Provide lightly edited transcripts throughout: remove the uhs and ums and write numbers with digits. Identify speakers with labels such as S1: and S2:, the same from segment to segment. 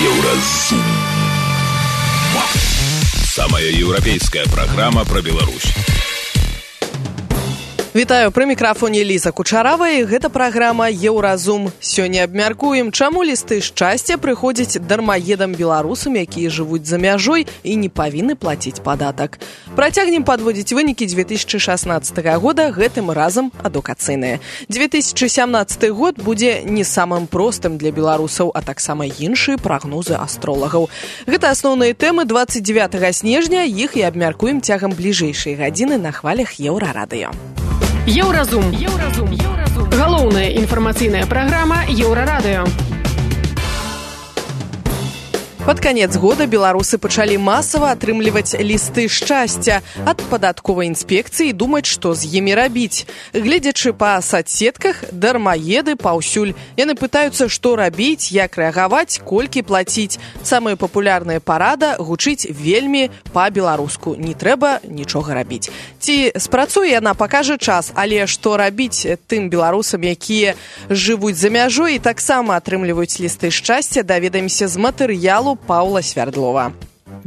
S1: Еўразум. Самая еўрапейская программа про Беларусь.
S2: Вітаю, пры мікрафоне Ліза Кучарава, і гэта праграма «Еўразум». Сёння абмяркуем, чаму лісты шчасця прыходзяць дармаедам беларусам, якія жывуць за мяжой і не павінны плаціць падатак. Працягнем падводзіць вынікі 2016 года, гэтым разам адукацыйныя. 2017 год будзе не самым простым для беларусаў, а таксама іншыя прагнозы астролагаў. Гэта асноўныя тэмы 29 снежня, іх і абмяркуем цягам бліжэйшай гадзіны на хвалях Еўрарадыё.
S3: Еўразум. Галоўная інфармацыйная праграма Еўрарадыё.
S2: Пад канец года беларусы пачалі масава атрымліваць лісты шчасця ад падатковай інспекцыі і думаць, што з імі рабіць. Гледзячы па соцсетках, дармаеды паўсюль. Яны пытаюцца, што рабіць, як рэагаваць, колькі плаціць. Самая папулярная парада гучыць вельмі па-беларуску. Не трэба нічога рабіць. Ці спрацуе яна, пакажа час, але што рабіць тым беларусам, якія жывуць за мяжой і таксама атрымліваюць лісты шчасця, даведаемся з матэрыялу Паўла Свярдлова.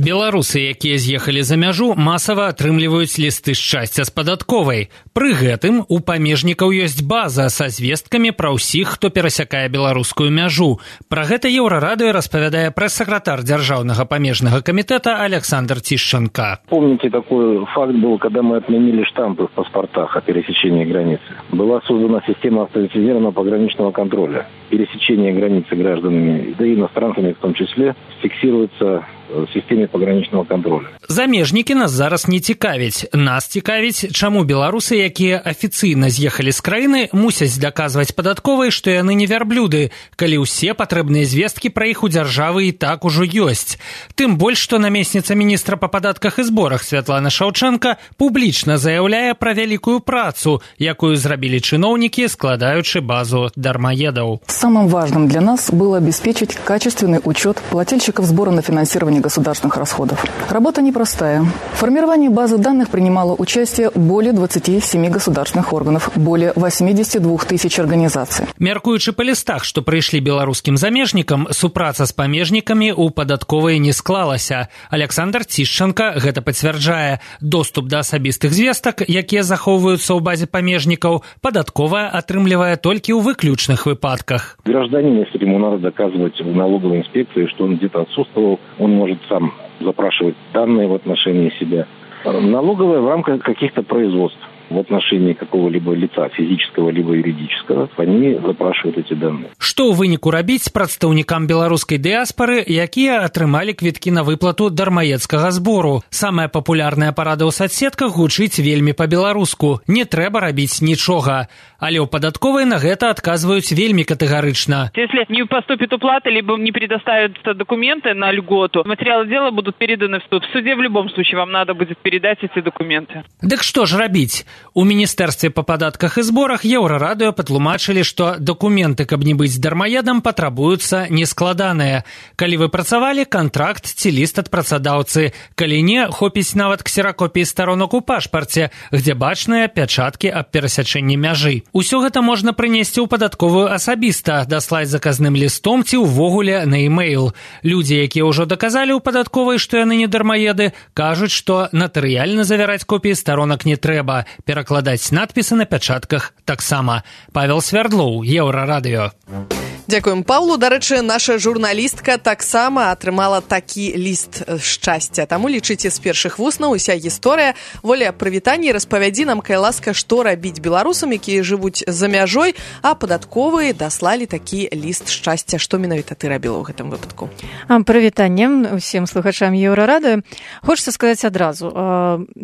S4: Беларусы, якія з'ехалі за мяжу, масава атрымліваюць лісты шчасця з падатковай. Пры гэтым у памежнікаў ёсць база са звесткамі пра ўсіх, хто перасякае беларускую мяжу. Пра гэта Еўрарадыё распавядае прэс-сакратар Дзяржаўнага памежнага камітэта Александр Тищенко.
S5: Помните, такой факт был, когда мы отменили штампы в паспортах о пересечении границы. Была создана система автоматизированного пограничного контроля. Пересечение границы гражданами, да и иностранцами в том числе, фиксируется в системе пограничного контроля.
S4: Замежнікі нас зараз не цікавяць. Нас цікавіць, чаму беларусы, якія афіцыйна з'ехалі з краіны, мусяць даказваць падатковай, што яны не вярблюды, калі ўсе патрэбныя звесткі пра іх у дзяржавы і так ужо ёсць. Тым больш, што намесніца міністра па падатках і зборах Святлана Шаўчэнка публічна заяўляе пра вялікую працу, якую зрабілі чыноўнікі, складаючы базу дармаедаў.
S6: Самым важным для нас было обеспечить качественный учет плательщиков сбора на финансирование государственных расходов. Работа непростая. В формировании базы данных принимало участие более 27 государственных органов, более 82 тысяч организаций.
S4: Мяркуючы па лістах, што прыйшлі беларускім замежнікам, супраца з памежнікамі ў падатковай не склалася. Александр Тищенко гэта пацвярджае. Доступ да асабістых звестак, якія захоўваюцца ў базе памежнікаў, падатковая атрымлівае толькі ў выключных выпадках.
S5: Гражданин, если ему надо доказывать в налоговой инспекции, что он где-то отсутствовал, он может сам запрашивать данные в отношении себя. Налоговая в рамках каких-то производств в отношении какого-либо лица, физического либо юридического, они запрашивают эти данные.
S4: Што ў выніку рабіць прадстаўнікам беларускай дыяспары, якія атрымалі квіткі на выплату дармаедскага збору? Самая папулярная парада ў соцсетках гучыць вельмі па-беларуску. Не трэба рабіць нічога. Але ў падатковай на гэта адказваюць вельмі катэгарычна.
S7: Если не поступит уплата, либо не предоставят документы на льготу, материалы дела будут переданы в суд. В суде в любом случае вам надо будет передать эти документы.
S4: Дык што ж рабіць? У Міністэрстве па падатках і зборах Еўрарадыё патлумачылі, што дакументы, каб не быць дармаедам, патрабуюцца нескладаныя. Калі вы працавалі, кантракт ці ліст ад працадаўцы. Калі не, хопіць нават ксеракопіі старонак у пашпарце, где бачныя пячаткі аб перасячэнні мяжы. Усё гэта можна прынесці ў падатковую асабіста, даслаць заказным лістом ці ўвогуле на e-mail. Людзі, якія ўжо даказалі ў падатковай, што яны не дармаеды, кажуць, што натарыяльна завяраць копіі старонак не трэба. Перакладаць надпісы на пячатках таксама. Павел Свярдлоў, Еўрарадыё.
S2: Дзякуем Паўлу. Дарэчы, наша журналістка таксама атрымала такі ліст шчасця. Таму лічыце з першых вуснаў уся гісторыя. Воля, прывітанне, распавядзі нам, кай ласка, што рабіць беларусам, якія жывуць за мяжой, а падатковыя даслалі такі ліст шчасця. Што менавіта ты рабіла ў гэтым выпадку?
S8: Прывітанне усім слухачам Еўрарадыё. Хочацца сказаць адразу.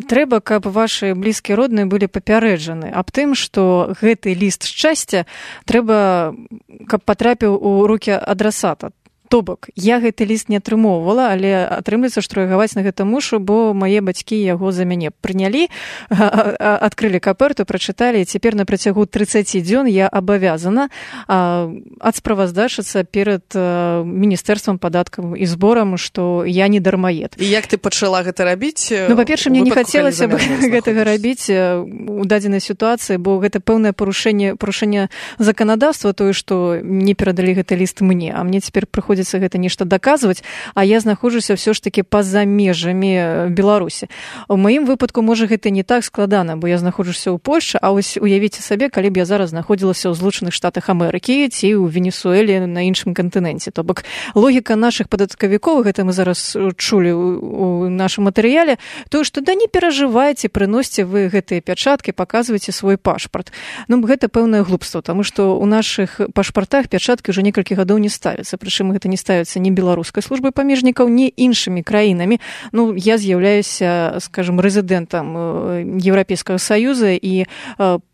S8: Трэба, каб вашы блізкія родныя былі папярэджаны аб тым, што гэты ліст шчасця трэба, каб патрапіў у рукі адрасата. То бок, я гэты ліст не атрымоўвала, але атрымліваецца, што рэагаваць на гэта мушу, бо мае бацькі яго за мяне прынялі, адкрылі каперту, прачыталі, і цяпер на працягу 30 дзён я абавязана адсправаздачыцца перад Міністэрствам падаткаў і зборам, што я не дармаед.
S2: І як ты пачала гэта рабіць?
S8: Ну, па-перша, мне не хацелася б гэтага рабіць у дадзенай сітуацыі, бо гэта пэўнае парушэнне заканадаўства, тое, што не перадалі гэты ліст мне, а мне цяпер прыходзіцца даводзіцца гэта нешта даказваць, а я знаходжуся ўсё ж такі па-за межамі Беларусі. У маім выпадку, можа, гэта не так складана, бо я знаходжуся ў Польшчы, а вось уявіце сабе, калі б я зараз знаходзілася ў Злучаных Штатах Амерыкі ці ў Венесуэле на іншым кантыненце. То бок логіка нашых падаткавікоў, гэта мы зараз чулі у нашым матэрыяле, то, што да не перажывайце, прыносьце вы гэтыя пячаткі, паказвайце свой пашпарт. Ну, гэта пэўнае глупства, таму што ў нашых пашпартах пячаткі ўжо некалькі гадоў не ставяцца, прычым гэта не ставіцца ні беларускай службай памежнікаў, ні іншымі краінамі. Ну, я з'яўляюся, скажем, рэзідэнтам Еўрапейскага Саюза, і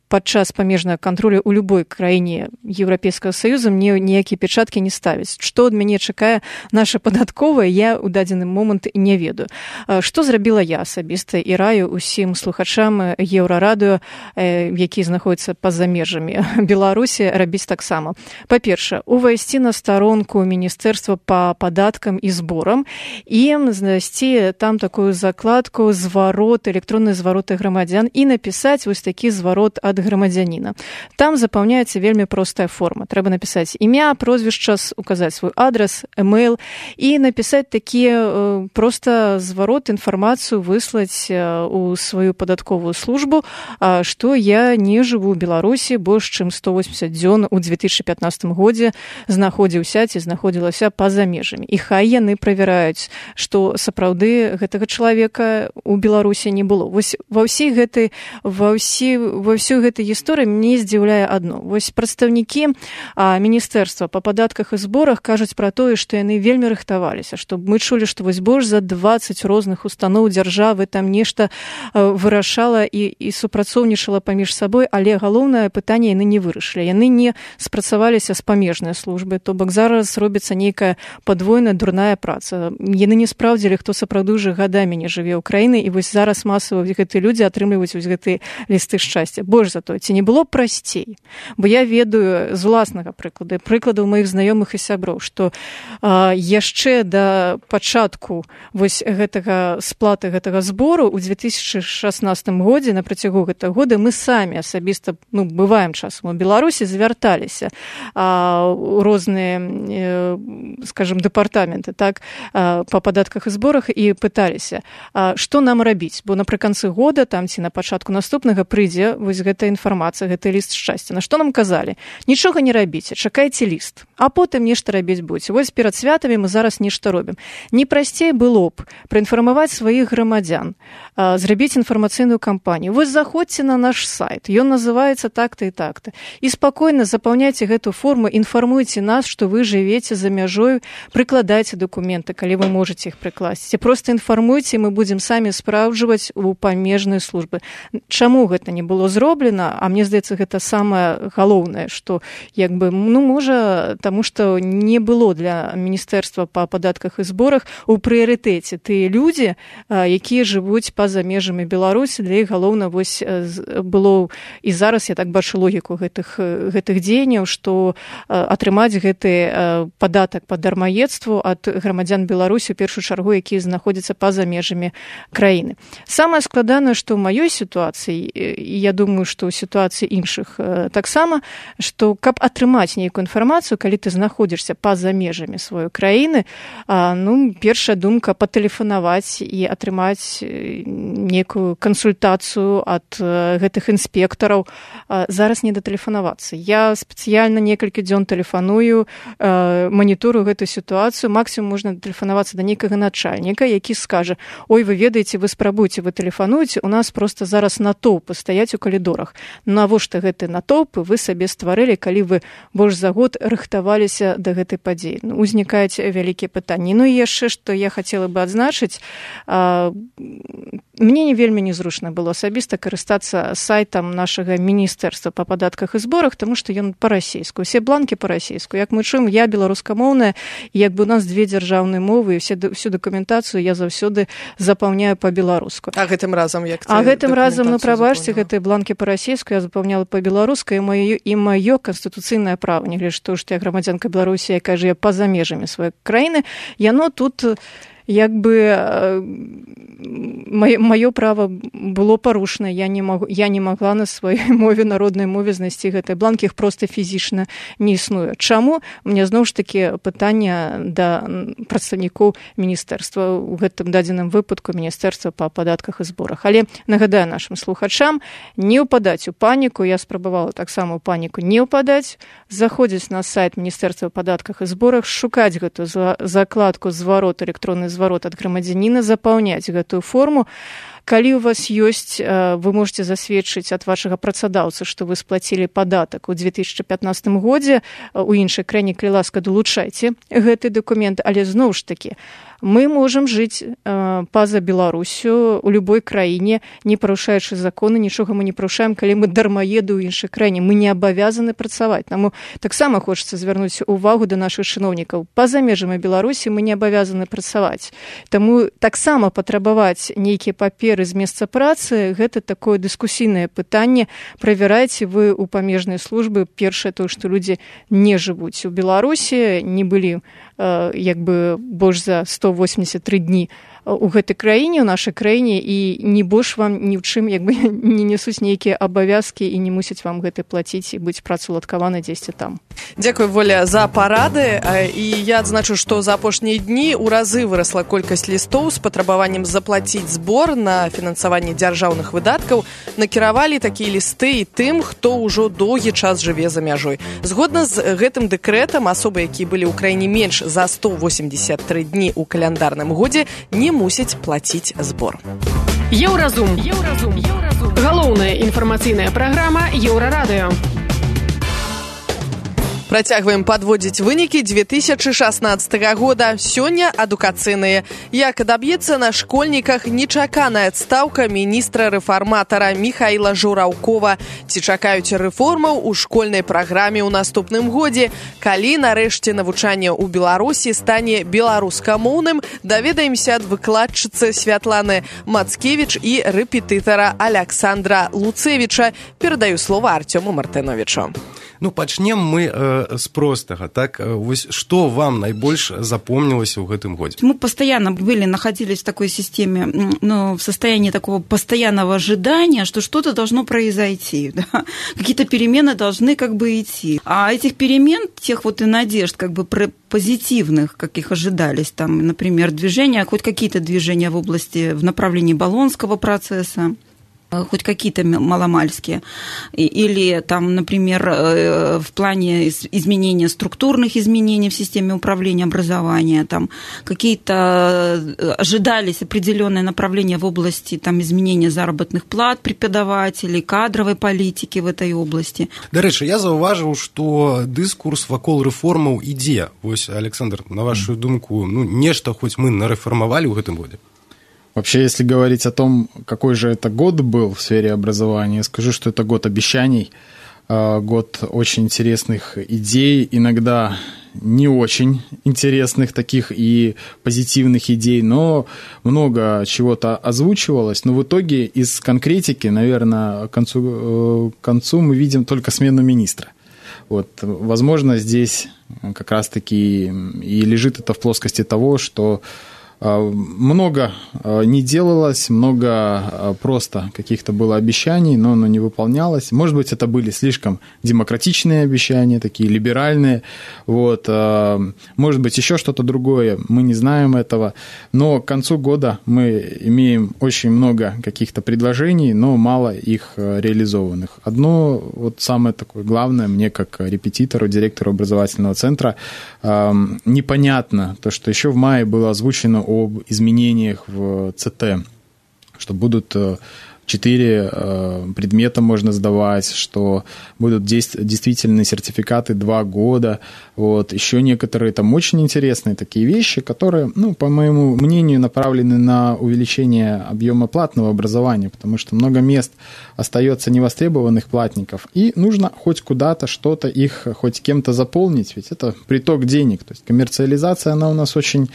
S8: падчас памежнага кантролю ў любой краіне Еўрапейскага Саюза мне ніякія пячаткі не ставяць. Што ад мяне чакае наша падатковая, я ў дадзены момант не ведаю. Што зрабіла я асабіста і раю ўсім слухачам Еўрарадыё, якія знаходзяцца па-за межамі Беларусі, рабіць таксама. Па-першае, увайсці на старонку Міністэрства па падаткам і зборам і знайсці там такую закладку зварот, электронныя звароты грамадзян і напісаць вось такі зварот ад грамадзяніна. Там запаўняецца вельмі простая форма. Трэба напісаць імя, прозвішча, указаць свой адрес, эмейл і напісаць такі проста зварот, інфармацыю выслаць у сваю падатковую службу, што я не жыву ў Беларусі больш чым 180 дзён у 2015 годзе, знаходзіўся ці знаходзілася па-за межамі. І хай яны правяраюць, што сапраўды гэтага чалавека ў Беларусі не было. Вось ва ўсёй гэтай гісторыі мне здзіўляе адно. Вось прадстаўнікі Міністэрства па падатках і зборах кажуць пра тое, што яны вельмі рыхтаваліся, што мы чулі, што вось больш за 20 розных устаноў дзяржавы там нешта вырашала і супрацоўнічала паміж сабой, але галоўнае пытанне яны не вырашылі. Яны не спрацаваліся з памежнай службы, то бок зараз робіцца нейкая падвойная дурная праца. Яны не спраўдзілі, хто сапраўды ўжо гадамі не жыве ў краіне, і вось зараз масава гэтыя людзі атрымліваюць вось гэтыя лісты шчасця. Больш за то, ці не было прасцей? Бо я ведаю з уласнага прыкладаў маіх знаёмых і сяброў, што яшчэ да пачатку вось гэтага сплаты гэтага збору ў 2016 годзе, на працягу гэтага года, мы самі асабіста, бываем часам у Беларусі, звярталіся у розныя, скажем, дэпартаменты, так, па падатках і зборах і пыталіся, што нам рабіць, бо напрыканцы года, там ці на пачатку наступнага прыйдзе вось гэта інфармацыя, гэты ліст шчасця. На што нам казалі? Нічога не рабіце, чакайце ліст, а потым нешта рабіць будзе. Вось перад святамі мы зараз нешта робім. Не прасцей было б праінфармаваць сваіх грамадзян, зрабіць інфармацыйную кампанію. Вось заходзьце на наш сайт, ён называецца так-то і так-то. І спакойна запаўняйце гэту форму, інфармуйце нас, што вы жывеце за мяжою, прыкладайце дакументы, калі вы можаце іх прыкласці. Проста інфармуйце, мы будзем самі спраўджваць у памежнай службы. Чаму гэта не было зроблена? А мне здаецца, гэта самае галоўнае, што можа, таму што не было для Міністэрства па падатках і зборах у прыярытэце тыя людзі, якія жывуць па-за межамі Беларусі. Для іх галоўна вось было, і зараз я так бачу логіку гэтых дзеянняў, што атрымаць гэты падатак па дармаедству ад грамадзян Беларусі, у першую чаргу, якія знаходзяцца па-за межамі краіны. Самае складанае, што ў маёй сітуацыі, і я думаю, што ў сітуацыі іншых таксама, што каб атрымаць нейкую інфармацыю, калі ты знаходзішся па-за межамі сваёй краіны, першая думка патэлефанаваць і атрымаць нейкую кансультацыю ад гэтых інспектараў. Зараз не датэлефанавацца. Я спецыяльна некалькі дзён тэлефаную, маніторую гэтую сітуацыю. Максімум можна датэлефанавацца да нейкага начальніка, які скажа: ой, вы ведаеце, вы спрабуйце, вы тэлефануеце, у нас проста зараз натоўпы стаяць у калідорах. Навошта гэты натоўпы вы сабе стварылі, калі вы больш за год рыхтаваліся да гэтай падзеі? Узнікаюць вялікія пытанні. І яшчэ, што я хацела бы адзначыць, мне не вельмі незручна было асабіста карыстацца сайтам нашага Міністэрства па падатках і зборах, таму што ён па-расейску. Усе бланкі па-расейску. Як мы чуем, я беларускамоўная, і як бы у нас две дзяржаўныя мовы, і всю дакументацыю я заўсёды запаўняю па-беларуску.
S2: А гэтым разам як?
S8: А гэтым разам, прабачце, гэтыя бланкі па-расейску я запаўняла па-беларуску, і маё канстытуцыйнае права, нягледзячы на тое, што я грамадзянка Беларусі, якая жыве па-за межамі сваёй краіны, яно тут як бы маё права было парушана, я не магла на сваёй мове, народнай мове знайсці гэтыя бланкі, іх проста фізічна не існуе. Чаму? У мяне зноў ж такі пытанне да прадстаўнікоў міністэрства, у гэтым дадзеным выпадку міністэрства па падатках і зборах. Але нагадаю нашим слухачам, не ўпадаць у паніку, я спрабавала таксама у паніку не ўпадаць, заходзіць на сайт міністэрства па падатках і зборах, шукаць гэтую закладку зварот, электронны зварот ад грамадзяніна, запаўняць гэтую форму. Калі у вас ёсць, вы можете засведчыць ад вашага працадаўцы, што вы сплацілі падатак у 2015 годзе, у іншай краіне, калі ласка, долучайце гэты дакумент, але зноў ж такі, мы можам жыць па-за Беларусю у любой краіне, не парушаючы законы, нічога мы не парушаем, калі мы дармаеды ў іншай краіне. Мы не абавязаны працаваць. Таму таксама хочацца звярнуць увагу да нашых чыноўнікаў. Па-за межамі Беларусі мы не абавязаны працаваць. Таму таксама патрабаваць нейкія паперы з месца працы, гэта такое дыскусійнае пытанне. Правярайце вы ў памежнай службы. Першае тое, што людзі не жывуць у Беларусі, не былі больш за 183 дні у гэтай краіне, у нашай краіне, і не больш вам ні ў чым не несуць нейкія абавязкі і не мусяць вам гэта плаціць і быць працаўладкаваны дзесьці там.
S2: Дзякуй, Воля, за парады. І я адзначу, што за апошнія дні ў разы вырасла колькасць лістоў з патрабаваннем заплаціць збор на фінансаванне дзяржаўных выдаткаў. Накіравалі такія лісты і тым, хто ўжо доўгі час жыве за мяжой. Згодна з гэтым дэкрэтам, асобы, якія былі ў краіне менш за 183 дні ў каляндарным годзе, не мусяць плаціць збор.
S3: Еўразум. Галоўная інфармацыйная праграма Еўрарадыё.
S2: Працягваем падводзіць вынікі 2016 года. Сёння адукацыйныя. Як адаб'ецца на школьніках нечаканая адстаўка міністра-рэфарматара Міхаіла Жураўкова. Ці чакаюць рэформаў у школьнай праграме ў наступным годзе? Калі нарэшце навучанне ў Беларусі стане беларускамоўным, даведаемся ад выкладчыцы Святланы Мацкевіч і рэпетытара Аляксандра Луцевіча. Перадаю слова Артёму Мартыновічу.
S9: Пачнем мы з простага. Так, вось што вам найбольш запомнілася ў гэтым годзе?
S10: Мы постоянно находились в такой системе, в состоянии такого постоянного ожидания, что что-то должно произойти, да? Какие-то перемены должны идти. А этих перемен, тех и надежд позитивных, каких ожидались, там, например, хоть какие-то движения в направлении Болонского процесса, хоть какие-то маломальские, или там, например, в плане изменения структурных изменений в системе управления образования, там какие-то ожидались определенные направления в области там, изменения заработных плат преподавателей, кадровой политики в этой области.
S9: До речі, я зауважив, що дискурс вакол рэформаў ідзе. Вось, Александр, на вашу думку, нешта хоць мы нарэформавалі ў гэтым годзе?
S11: Вообще, если говорить о том, какой же это год был в сфере образования, я скажу, что это год обещаний, год очень интересных идей, иногда не очень интересных таких и позитивных идей, но много чего-то озвучивалось. Но в итоге из конкретики, наверное, к концу мы видим только смену министра. Возможно, здесь как раз-таки и лежит это в плоскости того, что много не делалось, много просто каких-то было обещаний, но оно не выполнялось. Может быть, это были слишком демократичные обещания, такие либеральные. Может быть, еще что-то другое, мы не знаем этого. Но к концу года мы имеем очень много каких-то предложений, но мало их реализованных. Одно самое такое главное мне, как репетитору, директору образовательного центра, непонятно то, что еще в мае было озвучено об изменениях в ЦТ, что будут 4 предмета можно сдавать, что будут действительные сертификаты 2 года. Еще некоторые там очень интересные такие вещи, которые, по моему мнению, направлены на увеличение объема платного образования, потому что много мест остается невостребованных платников, и нужно хоть куда-то что-то их хоть кем-то заполнить, ведь это приток денег. То есть коммерциализация, она у нас очень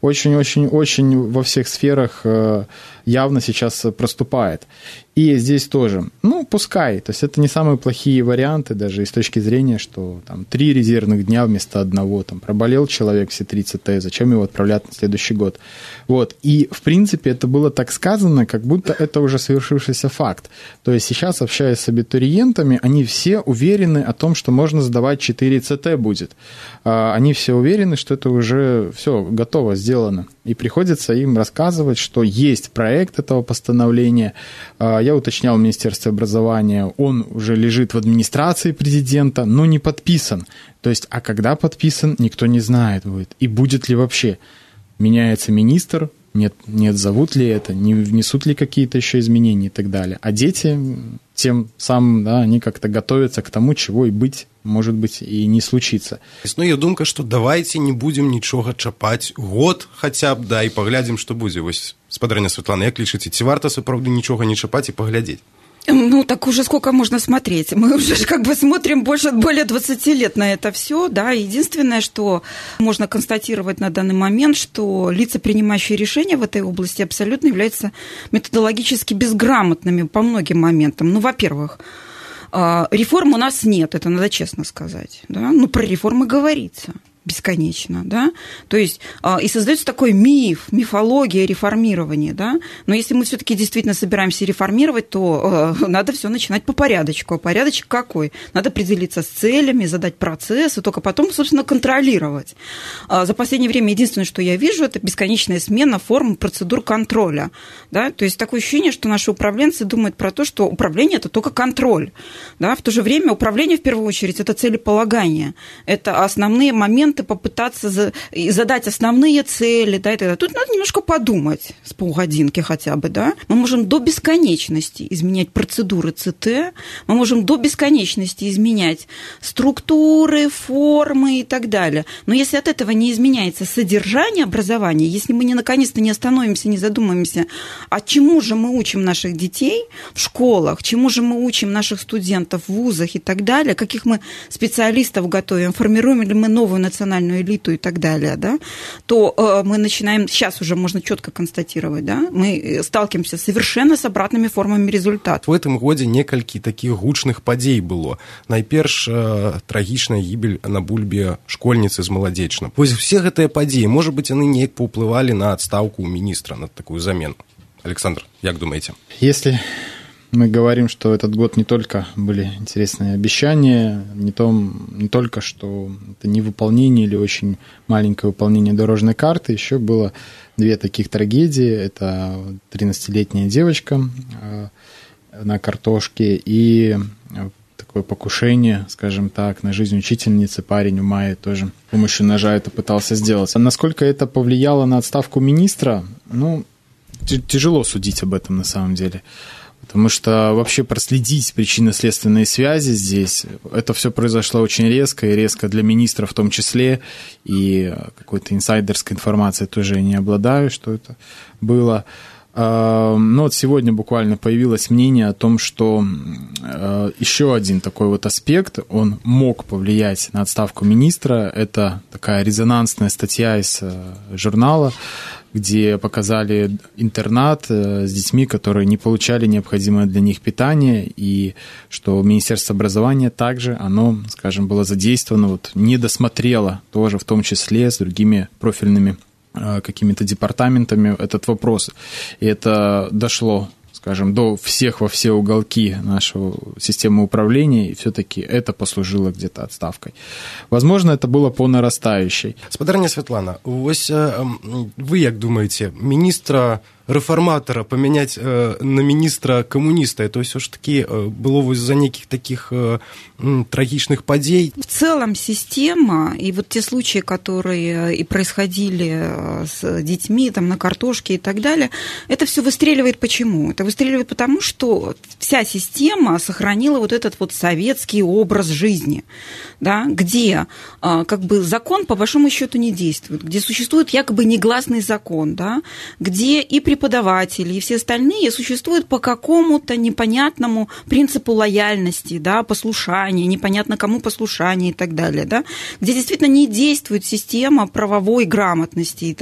S11: во всех сферах явно сейчас проступает. И здесь тоже, пускай, то есть это не самые плохие варианты, даже и с точки зрения, что там 3 резервных дня вместо 1, там проболел человек все 30 Т, зачем его отправлять на следующий год. Вот, и в принципе это было так сказано, как будто это уже совершившийся факт. То есть сейчас, общаясь с абитуриентами, они все уверены о том, что можно сдавать 4 ЦТ будет. Они все уверены, что это уже все готово, сделано. И приходится им рассказывать, что есть проект этого постановления. Я уточнял в Министерстве образования, он уже лежит в администрации президента, но не подписан. То есть, а когда подписан, никто не знает будет. И будет ли вообще. Меняется министр, нет, зовут ли это, не внесут ли какие-то еще изменения и так далее. А дети тем самым, они как-то готовятся к тому, чего и быть, может быть, и не случится.
S9: Існує думка, што давайте не будзем нічога чапаць год хаця б, і паглядзім, што будзе. Вось, спадарня Святлана, як лічыце, ці варта сапраўды нічога не чапаць і паглядзець?
S10: Так уже сколько можно смотреть? Мы уже смотрим более 20 лет на это все, да. Единственное, что можно констатировать на данный момент, что лица, принимающие решения в этой области, абсолютно являются методологически безграмотными по многим моментам. Во-первых, реформ у нас нет, это надо честно сказать, да. Про реформы говорится бесконечно, да, то есть и создается такой мифология реформирования, да, но если мы все-таки действительно собираемся реформировать, то надо все начинать по порядочку. А порядочек какой? Надо определиться с целями, задать процесс, и только потом, собственно, контролировать. За последнее время единственное, что я вижу, это бесконечная смена форм процедур контроля, да, то есть такое ощущение, что наши управленцы думают про то, что управление – это только контроль, да, в то же время управление, в первую очередь, это целеполагание, это основные моменты, попытаться задать основные цели, да, и так далее. Тут надо немножко подумать с полгодинки хотя бы, да. Мы можем до бесконечности изменять процедуры ЦТ, мы можем до бесконечности изменять структуры, формы и так далее. Но если от этого не изменяется содержание образования, если мы наконец-то не остановимся, не задумаемся, а чему же мы учим наших детей в школах, чему же мы учим наших студентов в вузах и так далее, каких мы специалистов готовим, формируем ли мы новую национальную элиту и так далее, да, то мы начинаем, сейчас уже можно четко констатировать, да, мы сталкиваемся совершенно с обратными формами результатов.
S9: В этом годзе некалькі таких гучных падзей было. Найперш трагічная гібель на бульбе школьніцы з Маладзечна. Вось все гэтыя падзеі, может быть, яны неяк паўплывалі на адстаўку министра, на такую замену. Александр, як думаете?
S11: Если мы говорим, что этот год не только были интересные обещания, не только, что это невыполнение или очень маленькое выполнение дорожной карты, еще было 2 таких трагедии. Это 13-летняя девочка на картошке и такое покушение, скажем так, на жизнь учительницы. Парень в мае тоже с помощью ножа это пытался сделать. А насколько это повлияло на отставку министра, тяжело судить об этом на самом деле. Потому что вообще проследить причинно-следственные связи здесь, это все произошло очень резко, и резко для министра в том числе, и какой-то инсайдерской информацией тоже я не обладаю, что это было. Но вот сегодня буквально появилось мнение о том, что еще один такой вот аспект, он мог повлиять на отставку министра. Это такая резонансная статья из журнала, где показали интернат с детьми, которые не получали необходимое для них питание, и что Министерство образования также, оно, скажем, было задействовано, не досмотрело тоже в том числе с другими профильными какими-то департаментами этот вопрос. И это дошло, скажем, до всех во все уголки нашего системы управления, и все-таки это послужило где-то отставкой. Возможно, это было по нарастающей.
S9: Спадарня Святлана, вось вы як думаете, министра реформатора поменять на министра коммуниста, это все ж таки было из-за неких таких трагичных падей?
S10: В целом система, и вот те случаи, которые и происходили с детьми там, на картошке и так далее, это все выстреливает почему? Это выстреливает потому, что вся система сохранила вот этот вот советский образ жизни, да, где закон по большому счету не действует, где существует якобы негласный закон, да, где и преподаватели, и все остальные существуют по какому-то непонятному принципу лояльности, да, послушания, непонятно кому послушание и так далее, да, где действительно не действует система правовой грамотности.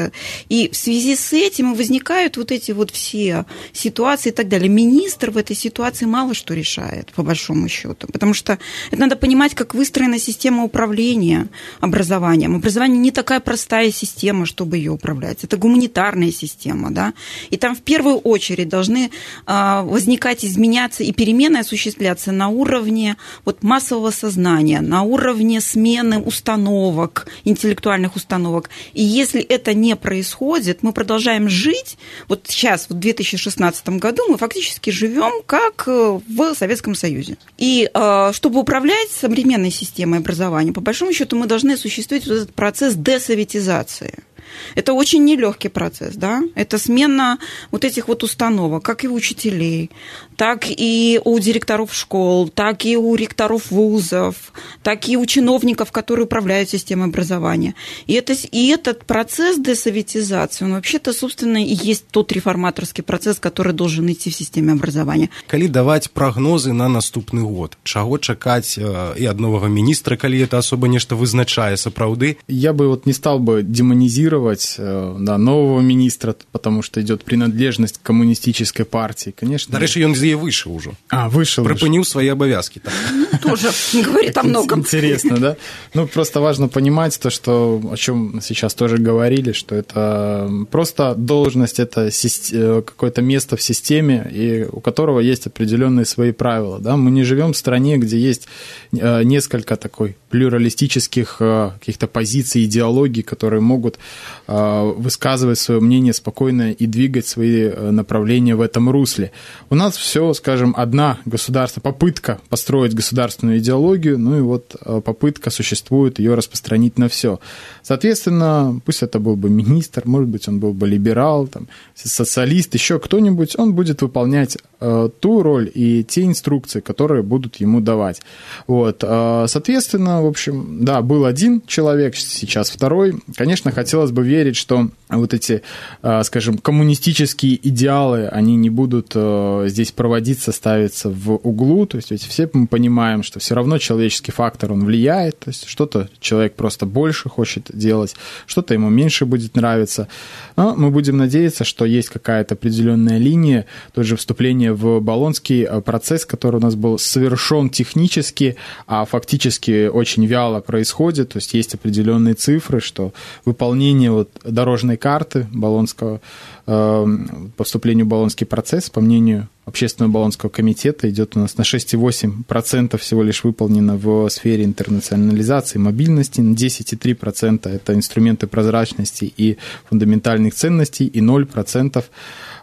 S10: И в связи с этим возникают вот эти вот все ситуации и так далее. Министр в этой ситуации мало что решает, по большому счету, потому что это надо понимать, как выстроена система управления образованием. Образование не такая простая система, чтобы ее управлять. Это гуманитарная система, да, и там в первую очередь должны возникать, изменяться и перемены осуществляться на уровне вот массового сознания, на уровне смены установок, интеллектуальных установок. И если это не происходит, мы продолжаем жить, вот сейчас, в 2016 году, мы фактически живем как в Советском Союзе. И чтобы управлять современной системой образования, по большому счету, мы должны осуществить вот этот процесс десоветизации. Это очень нелегкий процесс, да? Это смена вот этих вот установок, как и у учителей, так и у директоров школ, так и у ректоров вузов, так и у чиновников, которые управляют системой образования. И этот процесс десоветизации, он вообще-то, собственно, и есть тот реформаторский процесс, который должен идти в системе образования.
S9: Калі даваць прагнозы на наступны год, чаго чакаць і ад новага міністра, калі это особо нешта вызначае сапраўды?
S11: Я бы вот не стал бы демонизировать нового министра, потому что идет принадлежность к коммунистической партии, конечно.
S9: Дарэчы, ён з яе выйшаў ужо.
S11: Вышел.
S9: Прыпыніў свои обовязки.
S10: Тоже говорит о многом.
S11: Интересно, да? Ну, просто важно понимать то, что, о чем сейчас тоже говорили, что это просто должность, это какое-то место в системе, и у которого есть определенные свои правила, да? Мы не живем в стране, где есть несколько такой плюралистических каких-то позиций, идеологий, которые могут высказывать свое мнение спокойно и двигать свои направления в этом русле. У нас все, скажем, одна попытка построить государственную идеологию, ну и вот попытка существует ее распространить на все. Соответственно, пусть это был бы министр, может быть, он был бы либерал, там, социалист, еще кто-нибудь, он будет выполнять ту роль и те инструкции, которые будут ему давать. Вот. Соответственно, в общем, да, был один человек, сейчас второй. Конечно, хотелось бы верить, что вот эти, скажем, коммунистические идеалы, они не будут здесь проводиться, ставиться в углу. То есть ведь все мы понимаем, что все равно человеческий фактор, он влияет. То есть что-то человек просто больше хочет делать, что-то ему меньше будет нравиться. Но мы будем надеяться, что есть какая-то определенная линия, тот же вступление в Болонский процесс, который у нас был совершен технически, а фактически очень вяло происходит. То есть есть определенные цифры, что выполнение вот дорожной карты Болонского, по вступлению в Болонский процесс, по мнению Общественного Болонского комитета, идет у нас на 6,8% всего лишь выполнено в сфере интернационализации, мобильности, на 10,3% это инструменты прозрачности и фундаментальных ценностей, и 0%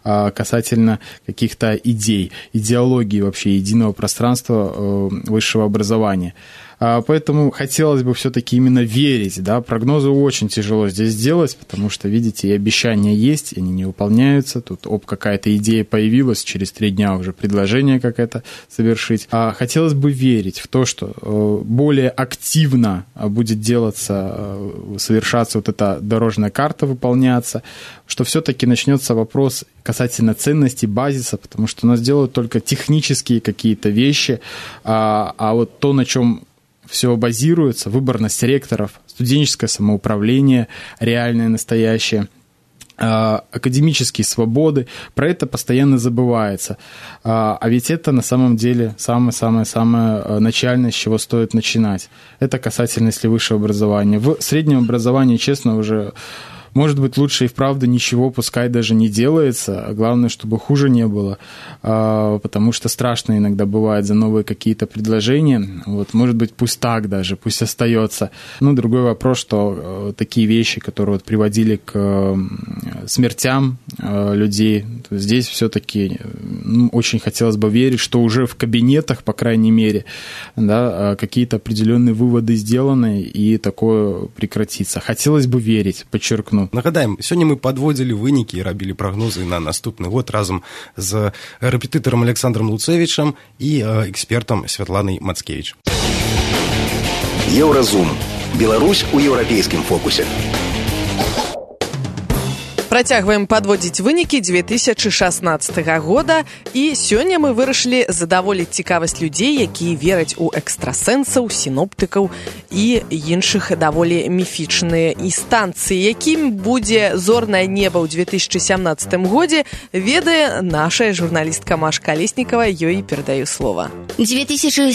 S11: касательно каких-то идей, идеологии вообще единого пространства высшего образования. Поэтому хотелось бы все-таки именно верить, да, прогнозы очень тяжело здесь сделать, потому что, видите, и обещания есть, и они не выполняются, тут какая-то идея появилась, через 3 дня уже предложение как это совершить. Хотелось бы верить в то, что более активно будет совершаться вот эта дорожная карта, выполняться, что все-таки начнется вопрос касательно ценностей, базиса, потому что у нас делают только технические какие-то вещи, а вот то, на чем все базируется, выборность ректоров, студенческое самоуправление, реальное, настоящее, академические свободы, про это постоянно забывается. А ведь это на самом деле самое-самое-самое начальное, с чего стоит начинать. Это касательно, если высшего образования. В среднем образовании, честно, уже... Может быть, лучше и вправду ничего, пускай даже не делается, а главное, чтобы хуже не было, потому что страшно иногда бывает за новые какие-то предложения. Вот, может быть, пусть так даже, пусть остается. Ну, другой вопрос, что такие вещи, которые вот приводили к смертям людей, то здесь все-таки очень хотелось бы верить, что уже в кабинетах, по крайней мере, да, какие-то определенные выводы сделаны, и такое прекратится. Хотелось бы верить, подчеркну.
S9: Нагадаем, сёння мы подводзілі вынікі і рабілі прагнозы на наступны год разам з рэпетытарам Александром Луцевичам і экспертам Святланай Мацкевич.
S12: Еўразум. Беларусь у еўрапейскім фокусе.
S2: Працягваем падводзіць вынікі 2016 года, і сёння мы вырашылі задаволіць цікавасць людзей, якія вераць у экстрасэнсаў, сіноптыкаў і іншых даволі міфічныя інстанцыі. Якім будзе зорнае неба ў 2017 годзе, ведае нашая журналістка Маша Колесникова, ёй перадаю слова.
S12: 2017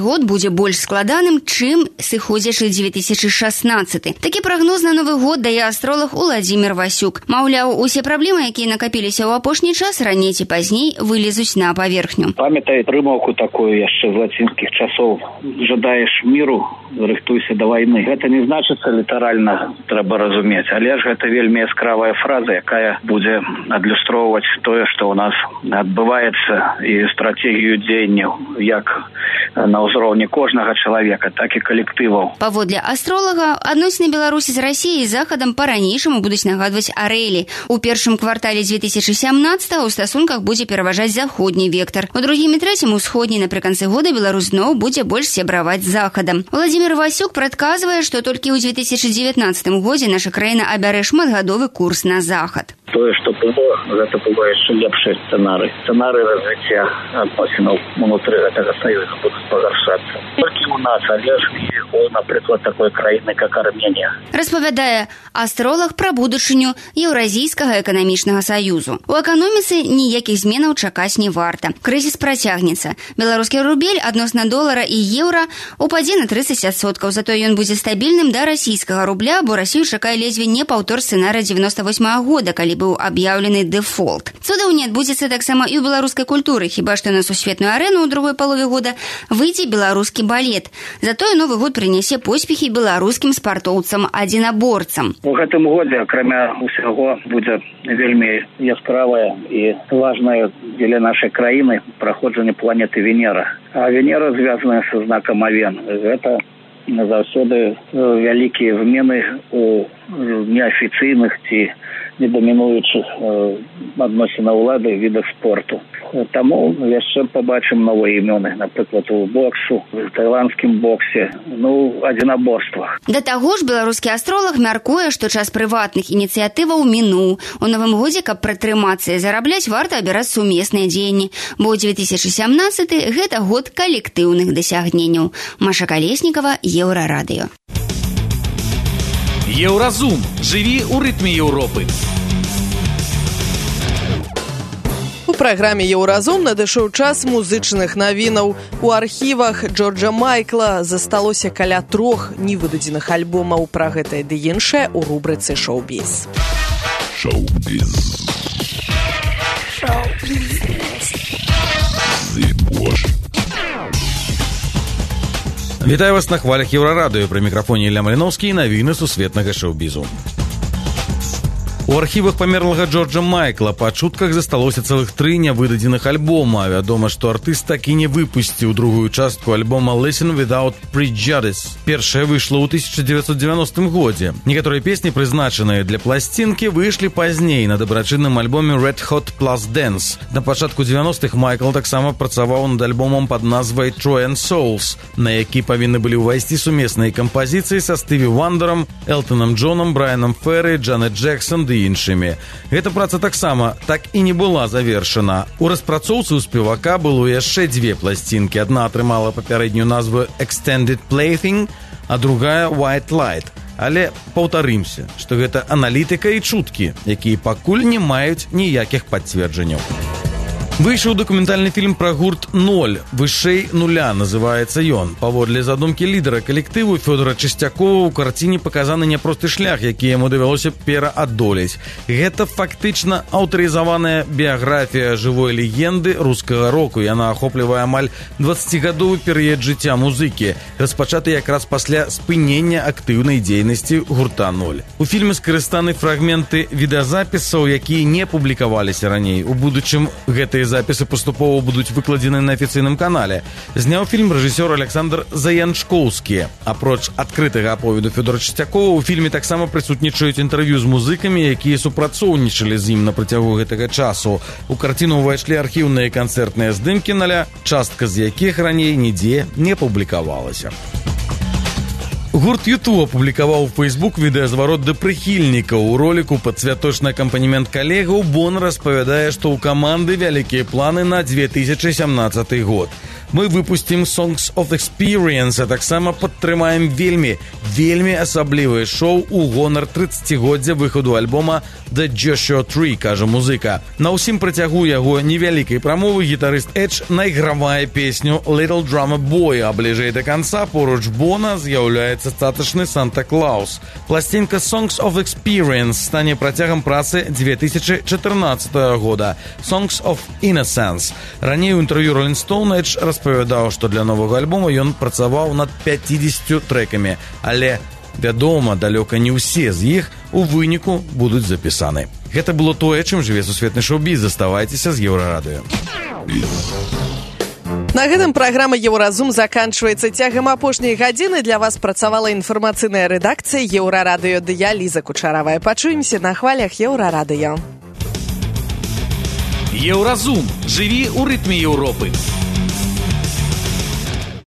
S12: год будзе больш складаным, чым сыходзячы 2016. Такі прагноз на новы год дае астролог Уладзімір Васюк. Маўляў, усе праблемы, якія накапіліся ў апошні час, раней ці пазней вылезуць на паверхню.
S5: Памятай прымаўку такую яшчэ з лацінскіх часоў. Жадаеш міру, рыхтуйся да вайны. Гэта не значыцца літаральна, трэба разумець, але ж гэта вельмі яскравая фраза, якая будзе адлюстроўваць тое, што ў нас адбываецца, і стратэгію дзеянняў як на ўзроўні кожнага чалавека, так і калектываў.
S12: Паводле астролага, адносіны Беларусі з Расіяй і Захадам па-ранейшаму будуць нагадваць арэлі. У першым квартале 2017-го ў стасунках будзе пераважаць заходні вектар. У другім і трэцім усходні напрыканцы года Беларусь зноў будзе больш сябраваць з Захадам. Уладзімір Васюк прадказвае, што толькі ў 2019 годзе наша краіна абярэ шматгадовы курс на захад.
S5: Тое, што было, гэта было яшчэ лепшы сцэнарый. Сцэнарый развіцця адносінаў унутры гэтага саюза будуць пагаршацца. Толькі у нас, але ж і у, напрыклад, такой краіны, як Арменія.
S12: Распавядае астролог пра будучыню Еўразійскага эканамічнага саюзу. У эканоміцы ніякіх зменаў чакаць не варта. Крызіс працягнецца. Беларускі рубель адносна долара і еўра упадзе на 30%, затое ён будзе стабільным да расійскага рубля, бо Расію чакае ледзьве не паўтор сцэнарыя 98 года, калі быў аб'яўлены дэфолт. Цудаў не адбудзецца таксама і ў беларускай культуры, хіба што на сусветную арэну ў другой палове года выйдзе беларускі балет. Затое новы год прынясе поспехі беларускім спартоўцам-адзінаборцам.
S5: У гэтым годзе, акрамя ўсяго, будзе вельмі яскравая і важная дзеля нашай краіны праходжанне планеты Венера. А Венера звязаная са знакам Авен. Гэта заўсёды вялікія змены у неафіцыйных ці недамінуючых адносінах улады відах спорту. Таму яшчэ пабачым новыя імёны, напрыклад, у боксу, у тайландскім боксе, адзінаборствах.
S12: Да таго ж беларускі астролог мяркуе, што час прыватных ініцыятываў мінуў. У новым годзе, каб пратрымацца і зарабляць, варта абіраць сумесныя дзеянні, бо 2017 гэта год калектыўных дасягненняў. Маша Колесникова, Еўрарадыё.
S1: Еўразум. Жыві ў рытме Еўропы.
S2: У праграме «Еўразум» надышоў час музычных навінаў. У архівах Джорджа Майкла засталося каля 3 невыдадзеных альбомаў. Пра гэтае ды іншае ў рубрыцы «Шоу-біз».
S1: Шоу-біз. Вітаю вас на хвалях Еўрарадыё. Пры мікрафоне Ілля Маліноўскі і навіны сусветнага шоу-бізу. У архівах памерлага Джорджа Майкла па чутках засталося цэлых 3 нявыдадзеных альбома. Вядома, што артыст так і не выпусціў другую частку альбома «Listen Without Prejudice». Першая выйшла ў 1990 годзе. Некаторыя песні, прызначаныя для пласцінкі, выйшлі пазней на дабрачынным альбоме «Red Hot Plus Dance». На пачатку 90-х Майкл таксама працаваў над альбомам пад назвай «Troy and Souls», на які павінны былі ўвайсці сумесныя кампазіцыі са Стыві Вандером, Элтонам Джонам, Брайанам Ферры, Джанет Джексон ды іншымі. Гэта праца таксама так і не была завершана. У распрацоўцы ў спевака было яшчэ 2 пласцінкі. Адна атрымала папярэднюю назву «Extended Plaything», а другая «White Light». Але паўтарымся, што гэта аналітыка і чуткі, якія пакуль не маюць ніякіх пацверджанняў. Выйшаў дакументальны фільм пра гурт «Ноль», «Вышэй нуля» называецца ён. Паводле задумкі лідара калектыву Фёдора Чысцякова ў карціне паказаны няпросты шлях, які яму давялося пераадолець. Гэта фактычна аўтарызаваная біяграфія жывой легенды рускага року. Яна ахоплівае амаль 20-гадовы перыяд жыцця музыкі, распачаты якраз пасля спынення актыўнай дзейнасці гурта «Ноль». У фільме скарыстаны фрагменты відэазапісаў, якія не публікаваліся раней. У будучым гэтыя запісы паступова будуць выкладзены на афіцыйным канале. Зняў фільм рэжысёр Александр Заянчкоўскі. Апроч адкрытага аповеду Фёдора Чысцякова, у фільме таксама прысутнічаюць інтэрв'ю з музыкамі, якія супрацоўнічалі з ім на працягу гэтага часу. У карціну ўвайшлі архіўныя канцэртныя здымкі «Ноля», частка з якіх раней нідзе не публікавалася. Гурт YouTube апублікаваў у Facebook відэазварот да прыхільнікаў. У роліку пад святочны акампанемент калегаў Бон распавядае, што ў каманды вялікія планы на 2017 год. Мы выпустим Songs of Experience, а таксама падтрымаем вельмі асаблівае шоу у гонар 30-годдзя выхаду альбома The Joshua Tree, кажа музыка. На ўсім працягу яго невялікай прамовы гітарыст Эдж найгравае песню Little Drummer Boy, а бліжэй да канца поруч Бона з'яўляецца статачны Санта-Клаус. Пласцінка Songs of Experience стане працягам працы 2014 года. Songs of Innocence. Раней у інтэрв'ю Rolling Stone Эдж распавядаў, што для новага альбома ён працаваў над 50 трэкамі, але, вядома, далёка не ўсе з іх у выніку будуць запісаны. Гэта было тое, чым жыве сусветны шоу-біз. Заставайцеся з Еўрарадыё.
S2: На гэтым праграма «Еўразум» заканчваецца. Цягам апошняй гадзіны для вас працавала інфармацыйная рэдакцыя Еўрарадыё. Я Ліза Кучаравая. Пачуемся на хвалях Еўрарадыё.
S13: Еўразум. Жыві ў рытме Еўропы.